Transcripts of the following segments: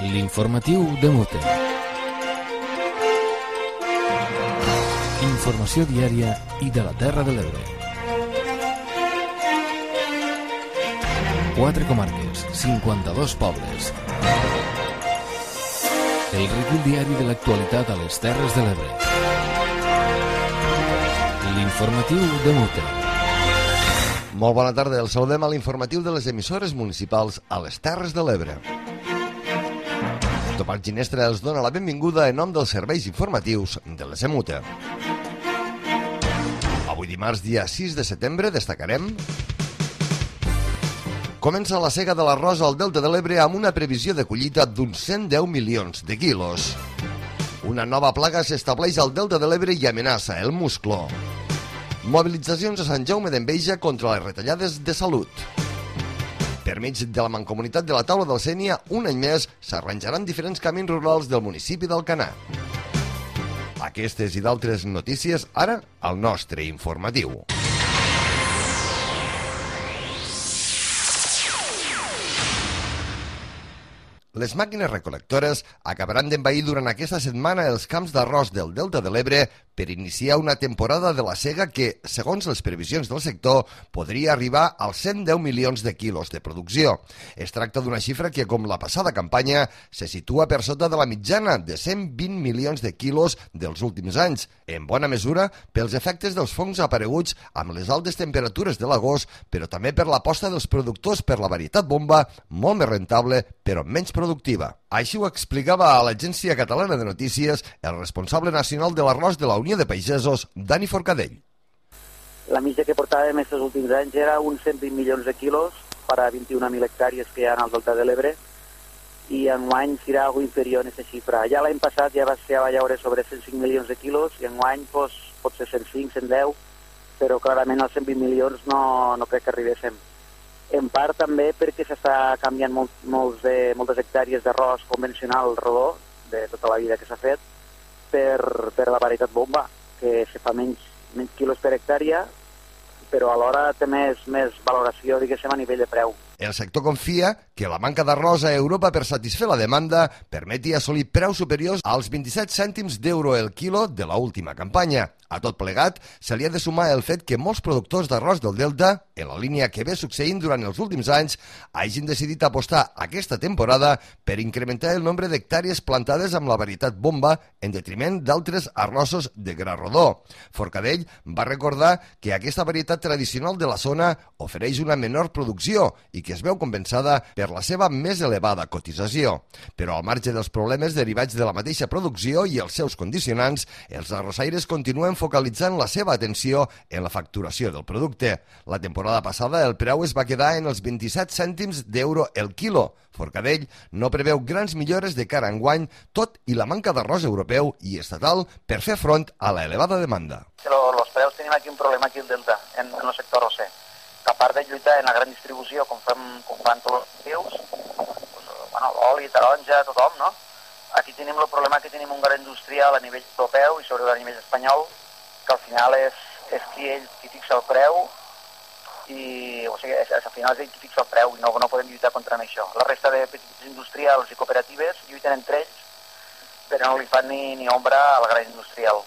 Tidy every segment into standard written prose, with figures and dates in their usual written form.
L'informatiu de Mute. Informació diària i de la Terra de l'Ebre. 4 comarques, 52 pobles. El recull diari de l'actualitat a les Terres de l'Ebre. L'informatiu de Mute. Molt bona tarda, el saludem a l'informatiu de les emissores municipals a les Terres de l'Ebre. Tomàs Ginestra els dona la benvinguda en nom dels serveis informatius de les EMUTE. Avui dimarts, dia 6 de setembre, destacarem: comença la sega de l'arròs al Delta de l'Ebre amb una previsió de collita d'uns 110 milions de quilos. Una nova plaga s'estableix al Delta de l'Ebre i amenaça el musclo. Mobilitzacions a Sant Jaume d'Enveja contra les retallades de salut. Per mig de la Mancomunitat de la Taula del Sénia, un any més s'arranjaran diferents camins rurals del municipi d'Alcanar. Aquestes i d'altres notícies ara al nostre informatiu. Les màquines recol·lectores acabaran d'envair durant aquesta setmana els camps d'arròs del Delta de l'Ebre per iniciar una temporada de la sega que, segons les previsions del sector, podria arribar als 110 milions de quilos de producció. Es tracta d'una xifra que, com la passada campanya, se situa per sota de la mitjana de 120 milions de quilos dels últims anys, en bona mesura pels efectes dels fongs apareguts amb les altes temperatures de l'agost, però també per l'aposta dels productors per la varietat bomba, molt més rentable, però menys productiva. Així ho explicava a l'Agència Catalana de Notícies el responsable nacional de l'arròs de la Unió de Pagesos, Dani Forcadell. La mitja que portàvem aquests últims anys era uns 120 milions de quilos per a 21.000 hectàrees que hi ha al Delta de l'Ebre, i enguany serà algo inferior a aquesta xifra. Ja l'any passat ja va llaure sobre 105 milions de quilos i enguany pot ser 105, 110, però clarament als 120 milions no crec que arribéssim. En part també perquè s'està canviant moltes hectàrees d'arròs convencional rodó, de tota la vida que s'ha fet, per la varietat bomba, que se fa menys quilos per hectàrea, però alhora té més valoració, diguéssim, a nivell de preu. El sector confia que la manca d'arròs a Europa per satisfer la demanda permeti assolir preus superiors als 27 cèntims d'euro el quilo de l'última campanya. A tot plegat, se li ha de sumar el fet que molts productors d'arròs del Delta, en la línia que ve succeint durant els últims anys, hagin decidit apostar aquesta temporada per incrementar el nombre d'hectàrees plantades amb la varietat bomba en detriment d'altres arrossos de gra rodó. Forcadell va recordar que aquesta varietat tradicional de la zona ofereix una menor producció i que es veu compensada per la seva més elevada cotització. Però al marge dels problemes derivats de la mateixa producció i els seus condicionants, els arrossaires continuen focalitzant la seva atenció en la facturació del producte. La temporada passada el preu es va quedar en els 27 cèntims d'euro el quilo. Forcadell no preveu grans millores de cara a enguany, tot i la manca d'arròs europeu i estatal per fer front a la elevada demanda. Els preus tenim aquí un problema aquí al Delta, en el sector arrosser. A part de lluitar en la gran distribució, com fan tots els rius, l'oli, taronja, tothom, no? Aquí tenim el problema que tenim un gran industrial a nivell europeu i sobretot a nivell espanyol, que al final és qui fixa el preu, al final és ell qui fixa el preu i no podem lluitar contra això. La resta de petits industrials i cooperatives lluiten entre ells, però no li fan ni ombra al gran industrial.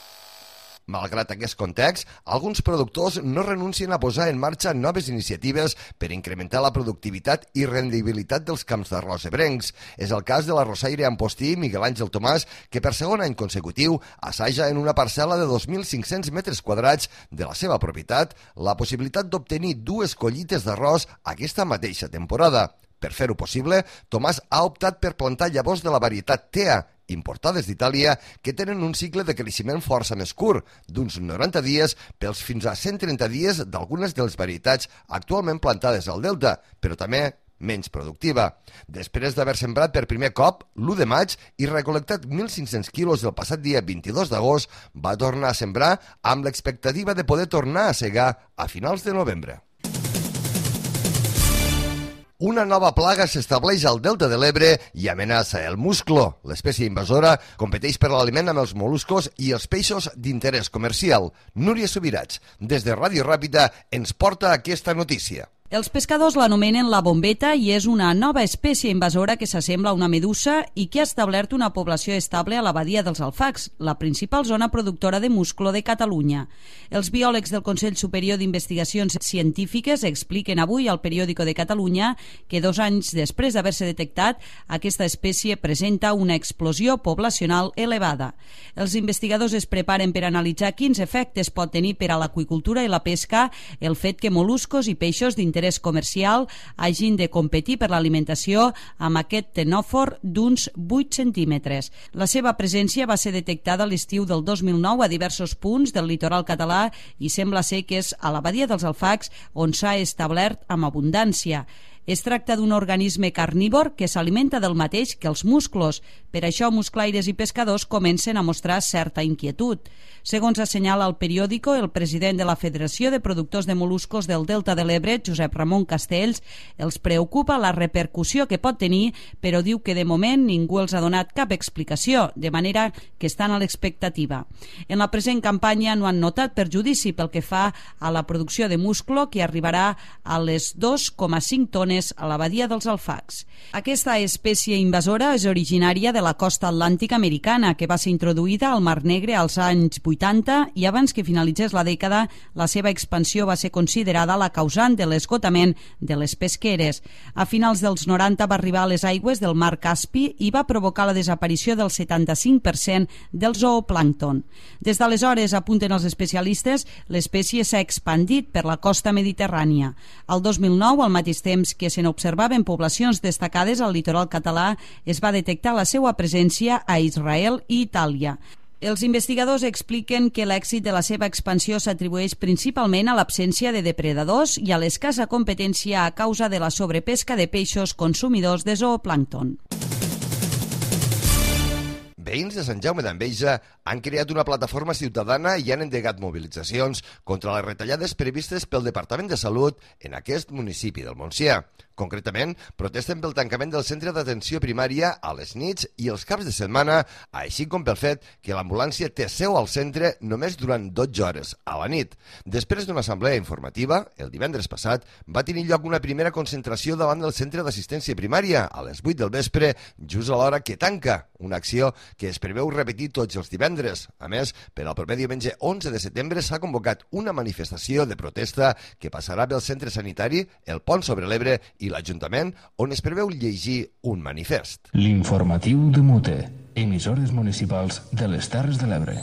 Malgrat aquest context, alguns productors no renuncien a posar en marxa noves iniciatives per incrementar la productivitat i rendibilitat dels camps d'arròs ebrencs. És el cas de l'arrossaire Ampostí Miguel Àngel Tomàs, que per segon any consecutiu assaja en una parcel·la de 2.500 metres quadrats de la seva propietat la possibilitat d'obtenir 2 collites d'arròs aquesta mateixa temporada. Per fer-ho possible, Tomàs ha optat per plantar llavors de la varietat TEA, importades d'Itàlia, que tenen un cicle de creixement força més curt, d'uns 90 dies pels fins a 130 dies d'algunes de les varietats actualment plantades al Delta, però també menys productiva. Després d'haver sembrat per primer cop l'1 de maig i recol·lectat 1.500 quilos el passat dia 22 d'agost, va tornar a sembrar amb l'expectativa de poder tornar a segar a finals de novembre. Una nova plaga s'estableix al Delta de l'Ebre i amenaça el musclo. L'espècie invasora competeix per l'aliment amb els moluscos i els peixos d'interès comercial. Núria Subirats, des de Ràdio Ràpida, ens porta aquesta notícia. Els pescadors l'anomenen la bombeta i és una nova espècie invasora que s'assembla a una medusa i que ha establert una població estable a la badia dels Alfacs, la principal zona productora de musclo de Catalunya. Els biòlegs del Consell Superior d'Investigacions Científiques expliquen avui al Periòdico de Catalunya que 2 anys després d'haver-se detectat, aquesta espècie presenta una explosió poblacional elevada. Els investigadors es preparen per analitzar quins efectes pot tenir per a l'aqüicultura i la pesca el fet que mol·luscos i peixos d'interès comercial hagin de competir per l'alimentació amb aquest ctenòfor d'uns 8 centímetres. La seva presència va ser detectada a l'estiu del 2009 a diversos punts del litoral català i sembla ser que és a la badia dels Alfacs on s'ha establert amb abundància. Es tracta d'un organisme carnívor que s'alimenta del mateix que els musclos. Per això, musclaires i pescadors comencen a mostrar certa inquietud. Segons assenyala el periòdico, el president de la Federació de Productors de Mol·luscos del Delta de l'Ebre, Josep Ramon Castells, els preocupa la repercussió que pot tenir, però diu que de moment ningú els ha donat cap explicació, de manera que estan a l'expectativa. En la present campanya no han notat perjudici pel que fa a la producció de musclo, que arribarà a les 2,5 tones a la badia dels Alfacs. Aquesta espècie invasora és originària de la costa atlàntica americana, que va ser introduïda al Mar Negre als anys 80 i abans que finalitzés la dècada la seva expansió va ser considerada la causant de l'esgotament de les pesqueres. A finals dels 90 va arribar a les aigües del Mar Caspi i va provocar la desaparició del 75% del zooplàncton. Des d'aleshores, apunten els especialistes, l'espècie s'ha expandit per la costa mediterrània. Al 2009, al mateix temps que se n'observaven poblacions destacades al litoral català, es va detectar la seva presència a Israel i Itàlia. Els investigadors expliquen que l'èxit de la seva expansió s'atribueix principalment a l'absència de depredadors i a l'escassa competència a causa de la sobrepesca de peixos consumidors de zooplàncton. Veïns de Sant Jaume d'Enveja han creat una plataforma ciutadana i han endegat mobilitzacions contra les retallades previstes pel Departament de Salut en aquest municipi del Montsià. Concretament, protesten pel tancament del centre d'atenció primària a les nits i els caps de setmana, així com pel fet que l'ambulància té seu al centre només durant 12 hores a la nit. Després d'una assemblea informativa, el divendres passat, va tenir lloc una primera concentració davant del centre d'assistència primària a les 8 del vespre, just a l'hora que tanca, una acció que es preveu repetir tots els divendres. A més, per al proper diumenge 11 de setembre s'ha convocat una manifestació de protesta que passarà pel centre sanitari, el Pont sobre l'Ebre i l'Ajuntament, on es preveu llegir un manifest. L'informatiu de Mute, emissores municipals de les Terres de l'Ebre.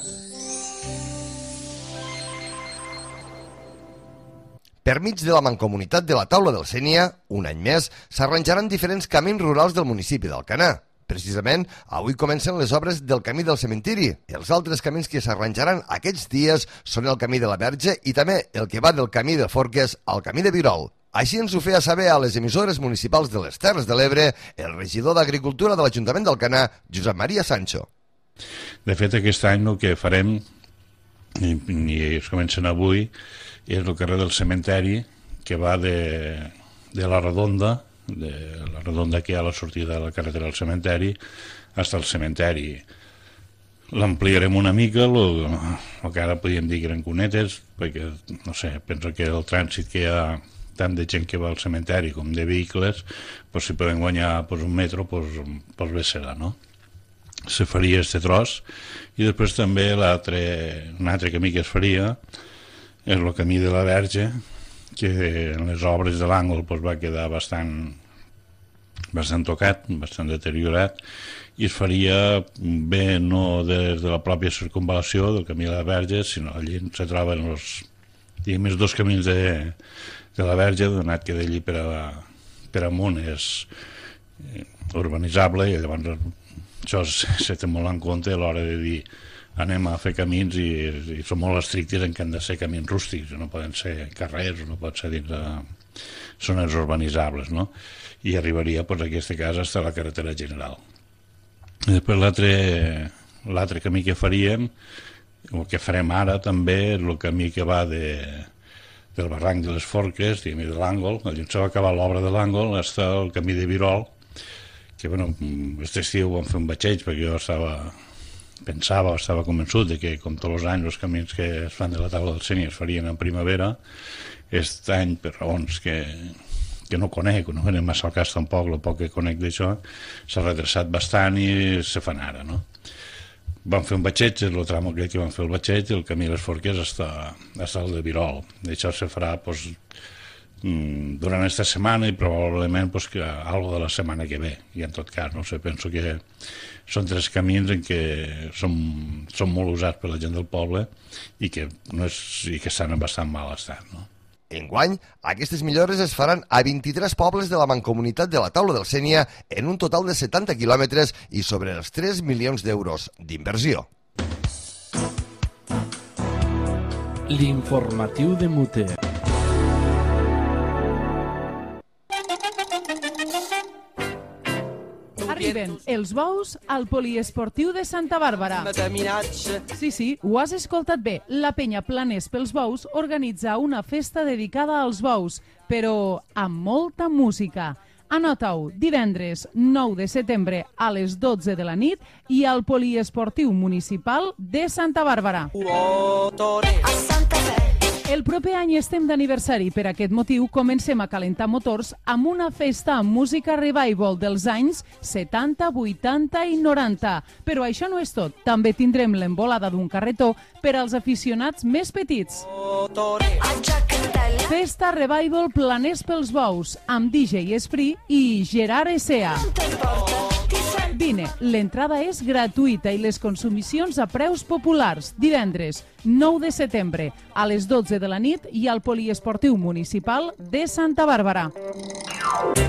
Per mig de la mancomunitat de la Taula del Sénia, un any més, s'arranjaran diferents camins rurals del municipi d'Alcanar. Precisament, avui comencen les obres del camí del cementiri. Els altres camins que s'arranjaran aquests dies són el camí de la Verge i també el que va del camí de Forques al camí de Virol. Així ens ho feia saber a les emissores municipals de les Terres de l'Ebre el regidor d'Agricultura de l'Ajuntament d'Alcanar, Josep Maria Sancho. De fet, aquest any el que farem, i es comencen avui, és el carrer del cementeri, que va de la Redonda, que hi ha a la sortida de la carretera del cementeri, fins al cementeri. L'ampliarem una mica, el que ara podríem dir que eren cunetes, perquè, no sé, penso que el trànsit que hi ha tant de gent que va al cementeri com de vehicles, si poden guanyar un metro, bé serà, no? Se faria este tros, i després també un altre camí que es faria és el camí de la Verge, que en les obres de l'àngol va quedar bastant tocat, bastant deteriorat, i es faria bé no des de la pròpia circunvalació del camí de la Verge, sinó allí se troben els dos camins de la Verge, donat que d'allí per amunt és urbanitzable, i llavors això se té molt en compte a l'hora de dir anem a fer camins, i són molt estrictes en que han de ser camins rústics, no poden ser carrers, no pot ser dins de zones urbanitzables, no? I arribaria, en aquest cas, fins a la carretera general. I després l'altre camí que faríem, el que farem ara també, és el camí que va del barranc de les Forques, de l'Àngol, allà on se va acabar l'obra de l'Àngol, fins al camí de Virol, que, aquest estiu vam fer un batxeig, perquè jo estava pensava o estava convençut de que, com tots els anys, els camins que es fan de la taula del Sénia es farien en primavera. Aquest any, per raons que no conec, no anem massa al cas tampoc, el poc que conec d'això, s'ha retrasat bastant i se fan ara, no? Vam fer un batxeig, el tram aquell que vam fer el batxeig, el camí de les Forques està al de Virol. Això se farà durant aquesta setmana i probablement algo de la setmana que ve. I en tot cas, no sé, penso que són 3 camins en què són molt usats per la gent del poble i que estan en bastant mal estat, no? Enguany, aquestes millores es faran a 23 pobles de la mancomunitat de la Taula del Sénia en un total de 70 quilòmetres i sobre els 3 milions d'euros d'inversió. L'informatiu de Mute. Arriben els bous al poliesportiu de Santa Bàrbara. Sí, ho has escoltat bé. La penya Planers pels Bous organitza una festa dedicada als bous, però amb molta música. Anota-ho, divendres 9 de setembre a les 12 de la nit i al poliesportiu municipal de Santa Bàrbara. El proper any estem d'aniversari. Per aquest motiu comencem a calentar motors amb una festa amb música revival dels anys 70, 80 i 90. Però això no és tot. També tindrem l'embolada d'un carretó per als aficionats més petits. Festa Revival Planers pels Bous amb DJ Esprit i Gerard Essea. Vine, l'entrada és gratuïta i les consumicions a preus populars. Divendres 9 de setembre a les 12 de la nit i al poliesportiu municipal de Santa Bàrbara.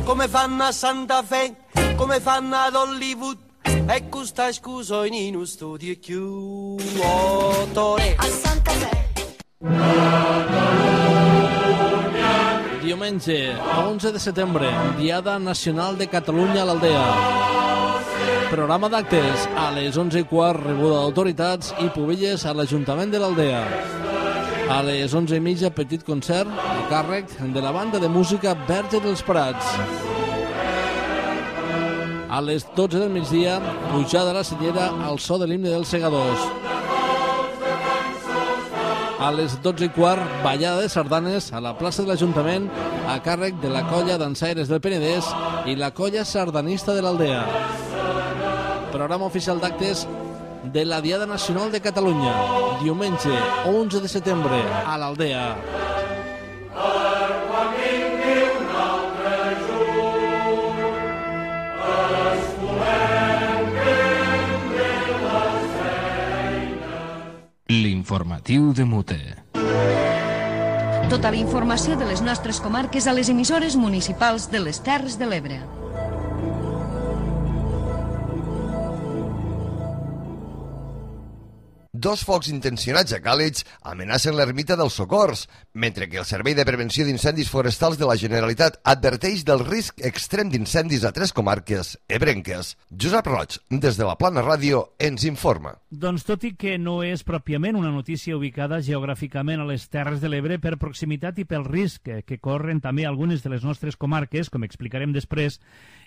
Come fanno a Santa Fe, come fanno ad Hollywood, e questa scusa in uno studio chiuso. A Santa Fe. Diumenge, 11 de setembre, Diada Nacional de Catalunya a l'Aldea. Programa d'actes a les 11:15, rebuda d'autoritats i pubilles a l'Ajuntament de l'Aldea. A les 11:30, petit concert a càrrec de la banda de música Verge dels Prats. A les 12 del migdia, pujada a la Cellera al so de l'himne dels Segadors. A les 12:15, ballada de sardanes a la plaça de l'Ajuntament a càrrec de la colla dansaires del Penedès i la colla sardanista de l'Aldea. Programa oficial d'actes de la Diada Nacional de Catalunya, diumenge 11 de setembre a l'Aldea. L'informatiu de Mute. Tota la informació de les nostres comarques a les emissores municipals de les Terres de l'Ebre. Dos focs intencionats a Càlig amenacen l'ermita dels Socors, mentre que el Servei de Prevenció d'Incendis Forestals de la Generalitat adverteix del risc extrem d'incendis a 3 comarques ebrenques. Josep Roig, des de la Plana Ràdio, ens informa. Doncs tot i que no és pròpiament una notícia ubicada geogràficament a les Terres de l'Ebre per proximitat i pel risc que corren també algunes de les nostres comarques, com explicarem després,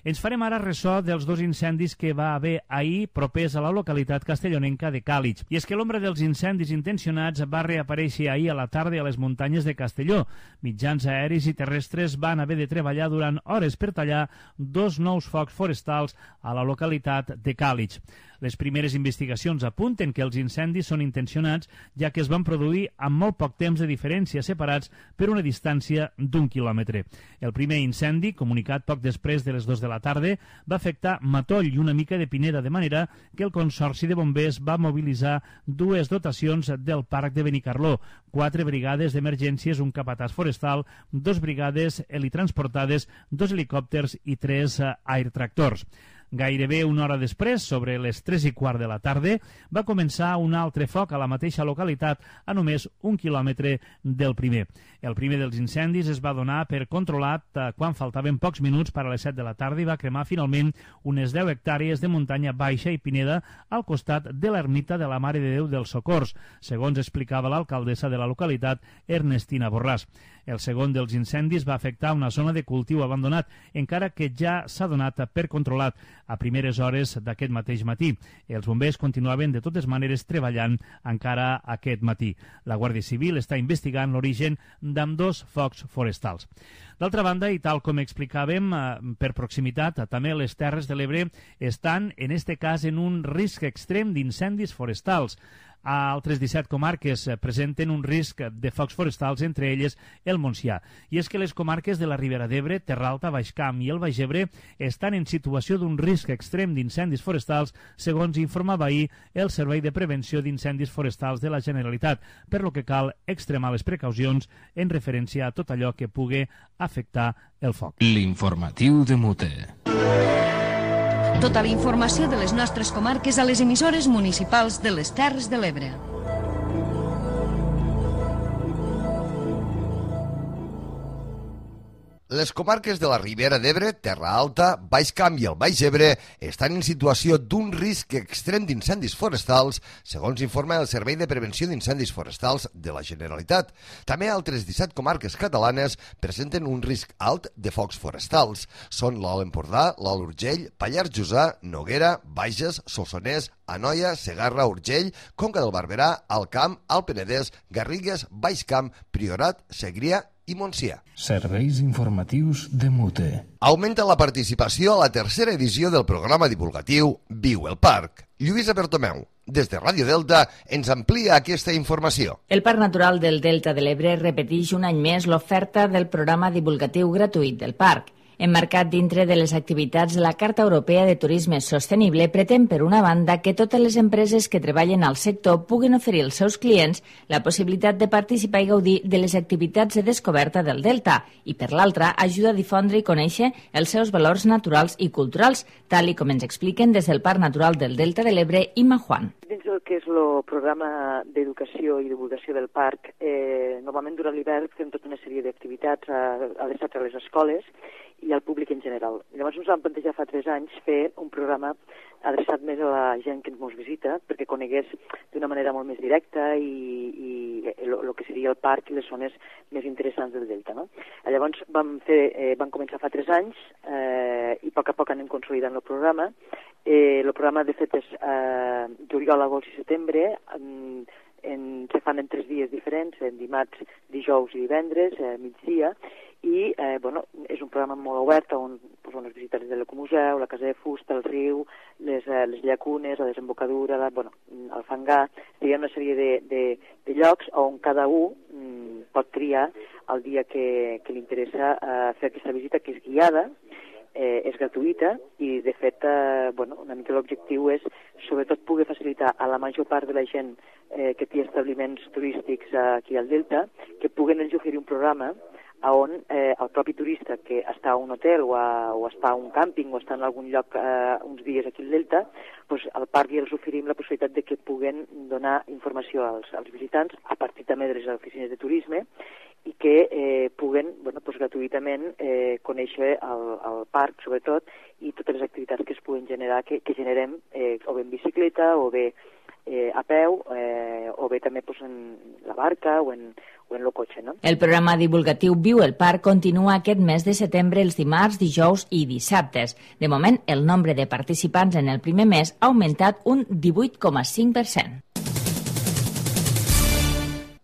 ens farem ara ressò dels 2 incendis que va haver ahir propers a la localitat castellonenca de Càlig. I és que l'ombra dels incendis intencionats va reaparèixer ahir a la tarda a les muntanyes de Castelló. Mitjans aeris i terrestres van haver de treballar durant hores per tallar 2 nous focs forestals a la localitat de Càlig. Les primeres investigacions apunten que els incendis són intencionats, ja que es van produir amb molt poc temps de diferència, separats per una distància d'1 quilòmetre. El primer incendi, comunicat poc després de les 2 de la tarda, va afectar Matoll i una mica de Pineda, de manera que el Consorci de Bombers va mobilitzar 2 dotacions del Parc de Benicarló, 4 brigades d'emergències, un capatàs forestal, 2 brigades helitransportades, 2 helicòpters i 3 airtractors. Gairebé una hora després, sobre les 3:15 de la tarda, va començar un altre foc a la mateixa localitat a només 1 quilòmetre del primer. El primer dels incendis es va donar per controlat quan faltaven pocs minuts per a les 7 de la tarda i va cremar finalment unes 10 hectàrees de muntanya baixa i pineda al costat de l'ermita de la Mare de Déu dels Socors, segons explicava l'alcaldessa de la localitat, Ernestina Borràs. El segon dels incendis va afectar una zona de cultiu abandonat, encara que ja s'ha donat per controlat a primeres hores d'aquest mateix matí. Els bombers continuaven de totes maneres treballant encara aquest matí. La Guàrdia Civil està investigant l'origen d'ambdós focs forestals. D'altra banda, i tal com explicàvem, per proximitat, també les Terres de l'Ebre estan, en este cas, en un risc extrem d'incendis forestals. Altres 17 comarques presenten un risc de focs forestals, entre elles el Montsià. I és que les comarques de la Ribera d'Ebre, Terra Alta, Baix Camp i el Baix Ebre estan en situació d'un risc extrem d'incendis forestals, segons informava ahir el Servei de Prevenció d'Incendis Forestals de la Generalitat, per lo que cal extremar les precaucions en referència a tot allò que pugui afectar el foc. L'informatiu de Mute. Tota la informació de les nostres comarques a les emissores municipals de les Terres de l'Ebre. Les comarques de la Ribera d'Ebre, Terra Alta, Baix Camp i el Baix Ebre estan en situació d'un risc extrem d'incendis forestals, segons informa el Servei de Prevenció d'Incendis Forestals de la Generalitat. També altres 17 comarques catalanes presenten un risc alt de focs forestals. Són l'Alt Empordà, l'Alt Urgell, Pallars Jussà, Noguera, Bages, Solsonès, Anoia, Segarra, Urgell, Conca del Barberà, Alt Camp, Alt Penedès, Garrigues, Baix Camp, Priorat, Segrià i Montsià. Serveis informatius de Mute. Augmenta la participació a la tercera edició del programa divulgatiu Viu el Parc. Lluïsa Bertomeu, des de Ràdio Delta, ens amplia aquesta informació. El Parc Natural del Delta de l'Ebre repeteix un any més l'oferta del programa divulgatiu gratuït del parc. Emmarcat dintre de les activitats de la Carta Europea de Turisme Sostenible, pretén, per una banda, que totes les empreses que treballen al sector puguin oferir als seus clients la possibilitat de participar i gaudir de les activitats de descoberta del Delta i, per l'altra, ajuda a difondre i conèixer els seus valors naturals i culturals, tal i com ens expliquen des del Parc Natural del Delta de l'Ebre, Imma Juan. Dins del que és el programa d'educació i divulgació del parc, normalment durant l'hivern fem tota una sèrie d'activitats adreçats a les escoles i al públic en general. Llavors ens vam plantejar fa 3 anys fer un programa adreçat més a la gent que ens visita perquè conegués d'una manera molt més directa i el que seria el parc i les zones més interessants del Delta. No? Llavors vam començar fa 3 anys i a poc anem consolidant el programa. El programa, de fet, és juliol, agost i setembre, se fan en 3 dies diferents, en dimarts, dijous i divendres, migdia, i és un programa molt obert on es visita des de l'Ecomuseu, la Casa de Fusta, el riu, les llacunes, la desembocadura, el fangar, una sèrie de llocs on cada un pot triar el dia que li interessa fer aquesta visita, que és guiada, és gratuïta i, de fet, una mica l'objectiu és, sobretot, poder facilitar a la major part de la gent que té establiments turístics aquí al Delta que puguen ells oferir un programa on el propi turista que està a un hotel o està a un càmping o està en algun lloc uns dies aquí al Delta, al parc ja els oferim la possibilitat de que puguen donar informació als visitants a partir també de les oficines de turisme i que puguen gratuïtament conèixer el parc, sobretot, i totes les activitats que es puguen generar, que generem o bé en bicicleta o bé a peu o bé també en la barca o en el cotxe. No? El programa divulgatiu Viu el Parc continua aquest mes de setembre els dimarts, dijous i dissabtes. De moment, el nombre de participants en el primer mes ha augmentat un 18,5%.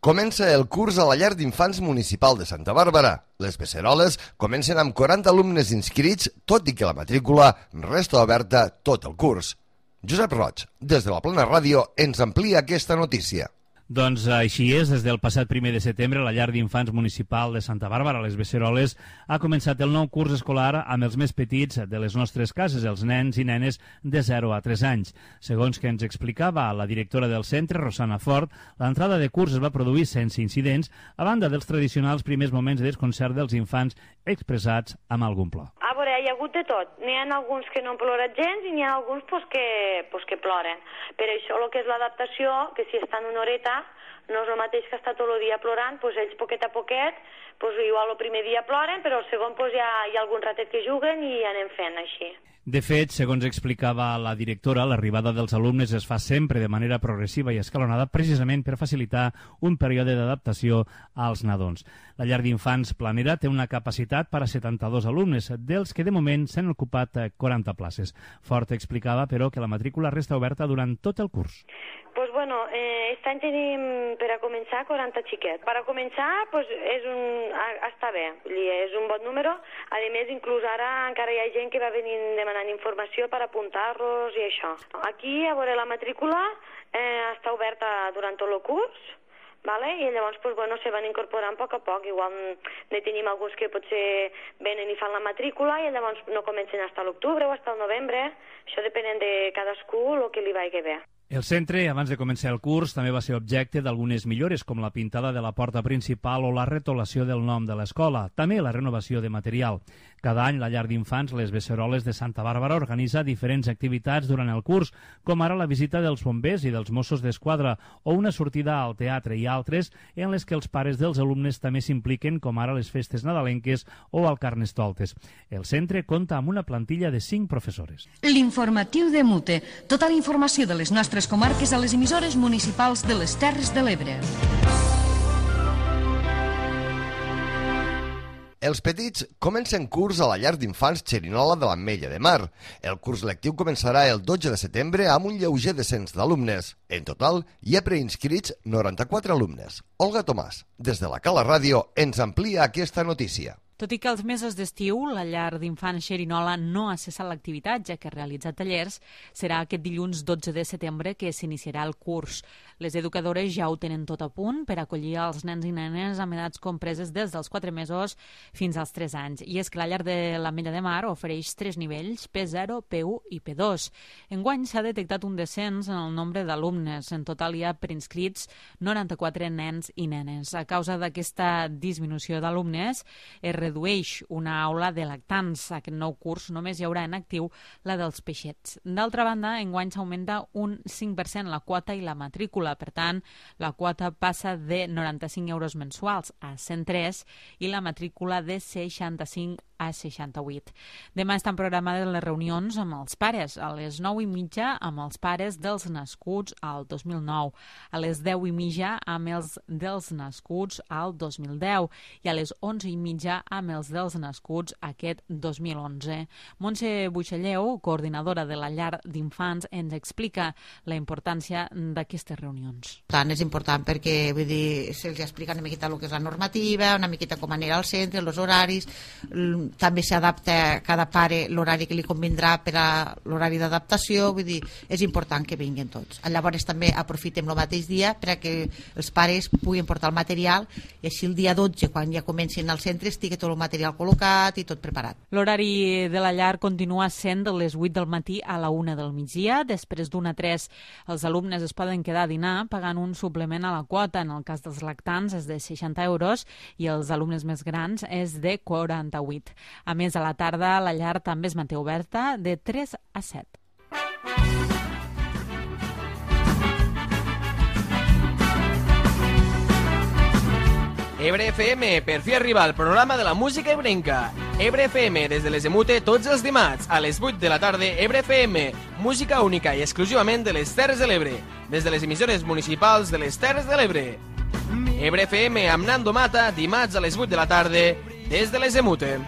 Comença el curs a la llar d'infants municipal de Santa Bàrbara. Les beceroles comencen amb 40 alumnes inscrits, tot i que la matrícula resta oberta tot el curs. Josep Roig, des de la Plana Ràdio, ens amplia aquesta notícia. Doncs així és, des del passat 1 de setembre la llar d'infants municipal de Santa Bàrbara, les Beceroles, ha començat el nou curs escolar amb els més petits de les nostres cases, els nens i nenes de 0 a 3 anys. Segons que ens explicava la directora del centre, Rosana Fort, l'entrada de curs es va produir sense incidents, a banda dels tradicionals primers moments de desconcert dels infants expressats amb algun plor. A veure, hi ha hagut de tot. N'hi ha alguns que no han plorat gens i n'hi ha alguns que ploren. Per això el que és l'adaptació, que si estan una horeta no és el mateix que estar tot el dia plorant, ells poquet a poquet, igual el primer dia ploren, però el segon hi ha algun ratet que juguen i anem fent així. De fet, segons explicava la directora, l'arribada dels alumnes es fa sempre de manera progressiva i escalonada precisament per facilitar un període d'adaptació als nadons. La llar d'infants Planera té una capacitat per a 72 alumnes, dels que de moment s'han ocupat 40 places. Fort explicava, però, que la matrícula resta oberta durant tot el curs. Pues bueno, aquest any tenim per a començar 40 xiquets. Per a començar, pues, està bé, és un bon número. A més, inclús ara encara hi ha gent que va venint demanant informació per apuntar-los i això. Aquí, a veure, la matrícula està oberta durant tot el curs, vale? I llavors pues, bueno, se van incorporant a poc. Igual ne tenim alguns que potser venen i fan la matrícula i llavors no comencen fins a l'octubre o fins al novembre. Això depenent de cadascú el que li vagi bé. El centre, abans de començar el curs, també va ser objecte d'algunes millores, com la pintada de la porta principal o la retolació del nom de l'escola, també la renovació de material. Cada any, la llar d'infants Les Beceroles de Santa Bàrbara organitza diferents activitats durant el curs, com ara la visita dels bombers i dels Mossos d'Esquadra o una sortida al teatre i altres en les que els pares dels alumnes també s'impliquen, com ara les festes nadalenques o el Carnestoltes. El centre compta amb una plantilla de 5 professores. L'informatiu de Mute. Tota la informació de les nostres comarques a les emissores municipals de les Terres de l'Ebre. Els petits comencen curs a la llar d'infants Xerinola de l'Ametlla de Mar. El curs lectiu començarà el 12 de setembre amb un lleuger descens d'alumnes. En total, hi ha preinscrits 94 alumnes. Olga Tomàs, des de la Cala Ràdio, ens amplia aquesta notícia. Tot i que els mesos d'estiu la llar d'infants Xerinola no ha cessat l'activitat, ja que realitza tallers, serà aquest dilluns 12 de setembre que s'iniciarà el curs. Les educadores ja ho tenen tot a punt per acollir els nens i nenes amb edats compreses des dels 4 mesos fins als 3 anys. I és que la llar de l'Ametlla de Mar ofereix 3 nivells, P0, P1 i P2. Enguany s'ha detectat un descens en el nombre d'alumnes. En total hi ha preinscrits 94 nens i nenes. A causa d'aquesta disminució d'alumnes, es redueix una aula de lactants. Aquest nou curs només hi haurà en actiu la dels peixets. D'altra banda, enguany s'augmenta un 5% la quota i la matrícula. Per tant, la quota passa de 95 euros mensuals a 103 i la matrícula de 65 a 68. Demà estan programades les reunions amb els pares, a les 9:30 amb els pares dels nascuts al 2009, a les 10:30 amb els dels nascuts al 2010 i a les 11:30 amb els dels nascuts aquest 2011. Montse Buixalleu, coordinadora de la llar d'infants, ens explica la importància d'aquestes reunions. Tant és important perquè vull dir, se'ls explica una miqueta el que és la normativa, una miqueta com anirà al centre, els horaris, també s'adapta a cada pare l'horari que li convindrà per a l'horari d'adaptació, vull dir, és important que vinguin tots. Llavors també aprofitem el mateix dia per a que els pares puguin portar el material i així el dia 12, quan ja comencin al centre, estigui tot el material col·locat i tot preparat. L'horari de la llar continua sent de les 8 del matí a la 1 del migdia. Després d'1 a 3 els alumnes es poden quedar a dinar pagant un suplement a la quota. En el cas dels lactants és de 60 euros i els alumnes més grans és de 48. A més, a la tarda la llar també es manté oberta de 3 a 7. Ebre FM, per fi arriba al programa de la música ebrenca. Ebre FM, des de les Emute, tots els dimarts, a les 8 de la tarda, Ebre FM, música única i exclusivament de les Terres de l'Ebre, des de les emissores municipals de les Terres de l'Ebre. Ebre FM amb Nando Mata, dimarts a les 8 de la tarda, des de les Emute.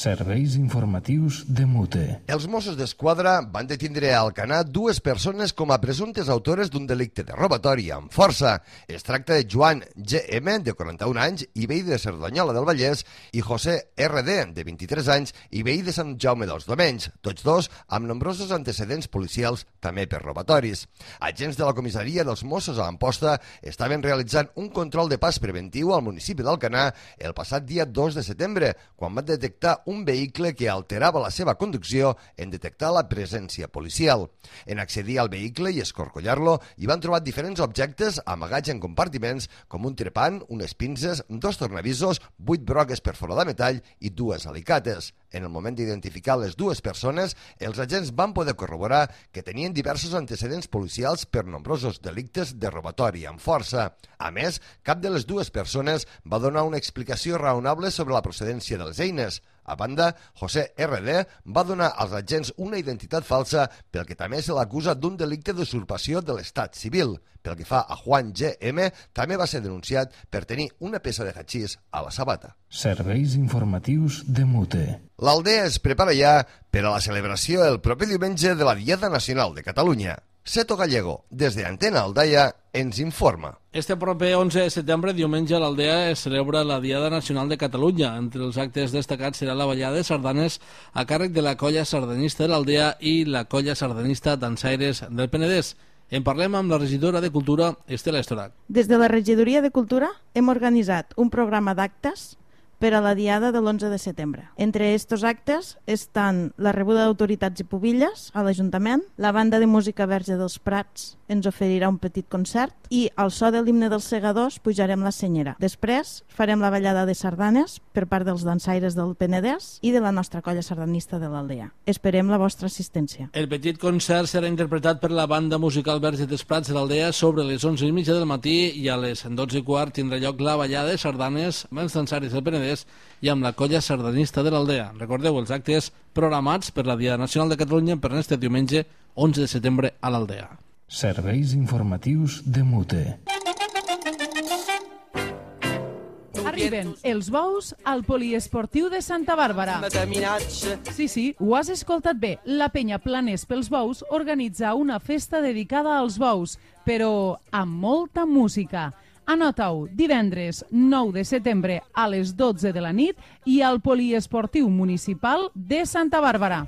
Serveis informatius de Mute. Els Mossos d'Esquadra van detindre a Alcanar 2 persones com a presumptes autores d'un delicte de robatori amb força. Es tracta de Joan G.M., de 41 anys, i veí de Cerdanyola del Vallès, i José R.D., de 23 anys, i veí de Sant Jaume dels Domenys, tots dos amb nombrosos antecedents policials també per robatoris. Agents de la comissaria dels Mossos a l'Amposta estaven realitzant un control de pas preventiu al municipi d'Alcanar el passat dia 2 de setembre, quan van detectar un vehicle que alterava la seva conducció en detectar la presència policial. En accedir al vehicle i escorcollar-lo, hi van trobar diferents objectes amagats en compartiments com un trepant, unes pinces, 2 tornavisos, 8 broques per fora de metall i 2 alicates. En el moment d'identificar les 2 persones, els agents van poder corroborar que tenien diversos antecedents policials per nombrosos delictes de robatori amb força. A més, cap de les 2 persones va donar una explicació raonable sobre la procedència de les eines. A banda, José R.D. va donar als agents una identitat falsa, pel que també se l'acusa d'un delicte d'usurpació de l'estat civil. Pel que fa a Juan G.M., també va ser denunciat per tenir una peça de hachís a la sabata. Serveis informatius de Mute. L'Aldea es prepara ja per a la celebració el proper diumenge de la Diada Nacional de Catalunya. Seto Gallego, des de Antena Aldaia, ens informa. Este proper 11 de setembre, diumenge, a l'Aldea es celebra la Diada Nacional de Catalunya. Entre els actes destacats serà la ballada de sardanes a càrrec de la colla sardanista de l'Aldea i la colla sardanista dansaires del Penedès. En parlem amb la regidora de Cultura, Estela Estorac. Des de la regidoria de Cultura hem organitzat un programa d'actes per a la diada de l'11 de setembre. Entre estos actes estan la rebuda d'autoritats i pubilles a l'Ajuntament, la banda de música Verge dels Prats ens oferirà un petit concert i al so de l'himne dels segadors pujarem la senyera. Després farem la ballada de sardanes per part dels dansaires del Penedès i de la nostra colla sardanista de l'Aldea. Esperem la vostra assistència. El petit concert serà interpretat per la banda musical Verge dels Prats de l'Aldea sobre les 11:30 del matí i a les 12:15 tindrà lloc la ballada de sardanes amb els dansaires del Penedès i amb la colla sardanista de l'Aldea. Recordeu els actes programats per la Diada Nacional de Catalunya per este diumenge 11 de setembre a l'Aldea. Serveis informatius de Mute. Arriben els bous al poliesportiu de Santa Bàrbara. Sí, ho has escoltat bé. La penya Planers pels Bous organitza una festa dedicada als bous, però amb molta música. Anota-ho, divendres 9 de setembre a les 12 de la nit i al poliesportiu municipal de Santa Bàrbara.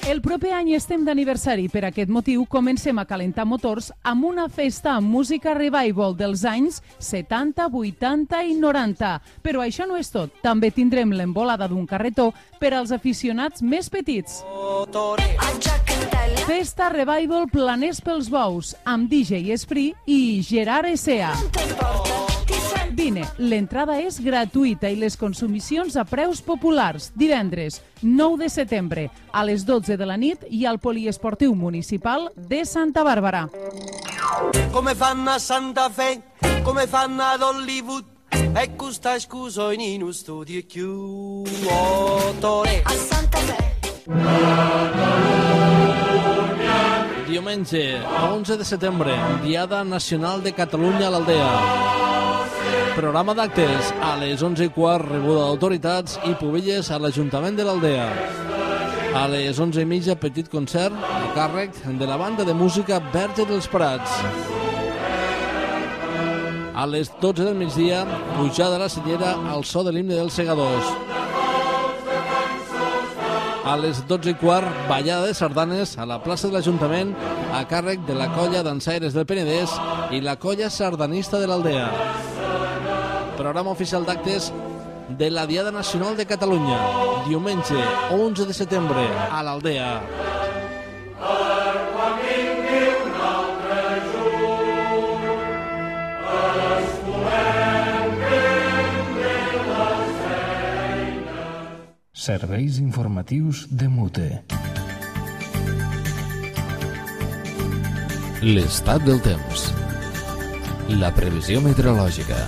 El proper any estem d'aniversari. Per aquest motiu comencem a calentar motors amb una festa amb música revival dels anys 70, 80 i 90. Però això no és tot. També tindrem l'embolada d'un carretó per als aficionats més petits. Festa Revival Planers pels Bous amb DJ Esprit i Gerard Essea. Vine, l'entrada és gratuïta i les consumicions a preus populars. Divendres 9 de setembre a les 12 de la nit i al poliesportiu municipal de Santa Bàrbara. Come fanno a Santa Fe, come fanno ad Hollywood, e questa scusa in uno studio chiuso. A Santa Fe. Diumenge 11 de setembre, Diada Nacional de Catalunya a l'Aldea. Programa d'actes a les 11:15, rebuda d'autoritats i pubilles a l'Ajuntament de l'Aldea. A les 11:30, petit concert a càrrec de la banda de música Verge dels Prats. A les 12 del migdia, pujada a la senyera al so de l'himne dels segadors. A les 12:15, ballada de sardanes a la plaça de l'Ajuntament a càrrec de la colla dansaires del Penedès i la colla sardanista de l'Aldea. Programa oficial d'actes de la Diada Nacional de Catalunya, diumenge 11 de setembre a l'Aldea. Serveis informatius de Mute. L'estat del temps. La previsió meteorològica.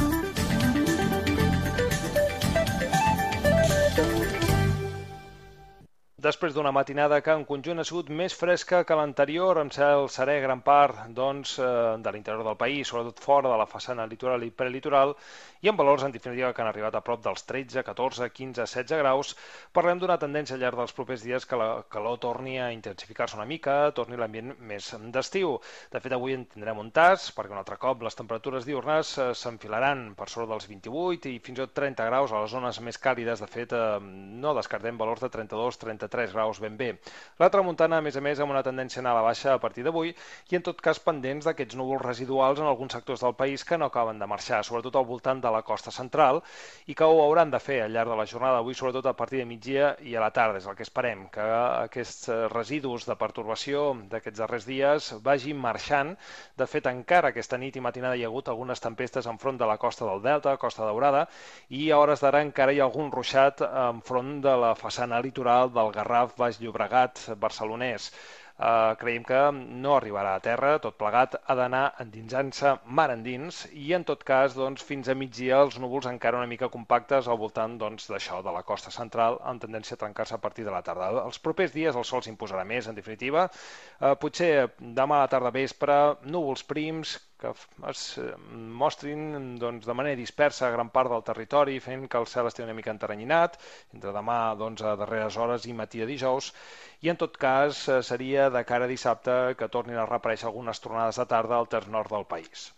Després d'una matinada que en conjunt ha sigut més fresca que l'anterior, amb cel serè gran part de l'interior del país, sobretot fora de la façana litoral i prelitoral, i amb valors en definitiva que han arribat a prop dels 13, 14, 15, 16 graus, parlem d'una tendència al llarg dels propers dies que la calor torni a intensificar-se una mica, torni l'ambient més d'estiu. De fet, avui en tindrem un tas, perquè un altre cop les temperatures diurnes s'enfilaran per sobre dels 28 i fins i tot 30 graus a les zones més càlides. De fet, no descartem valors de 32, 33 graus ben bé. La tramuntana, a més, amb una tendència a anar a la baixa a partir d'avui i, en tot cas, pendents d'aquests núvols residuals en alguns sectors del país que no acaben de marxar, sobretot al voltant de la costa central, i que ho hauran de fer al llarg de la jornada d'avui, sobretot a partir de migdia i a la tarda. És el que esperem, que aquests residus de pertorbació d'aquests darrers dies vagin marxant. De fet, encara aquesta nit i matinada hi ha hagut algunes tempestes enfront de la costa del Delta, Costa Daurada, i a hores d'ara encara hi ha algun ruixat enfront de la façana litoral del Garraf, Baix Llobregat, barcelonès. creiem que no arribarà a terra, tot plegat ha d'anar endinsant-se mar endins i en tot cas fins a migdia els núvols encara una mica compactes al voltant d'això, de la costa central, amb tendència a trencar-se a partir de la tarda. Els propers dies el sol s'imposarà més, en definitiva, potser demà a la tarda vespre, núvols prims que es mostrin de manera dispersa a gran part del territori, fent que el cel estigui una mica enteranyinat, entre demà a darreres hores i matí de dijous, i en tot cas seria de cara a dissabte que tornin a reaparèixer algunes tronades de tarda al terç nord del país.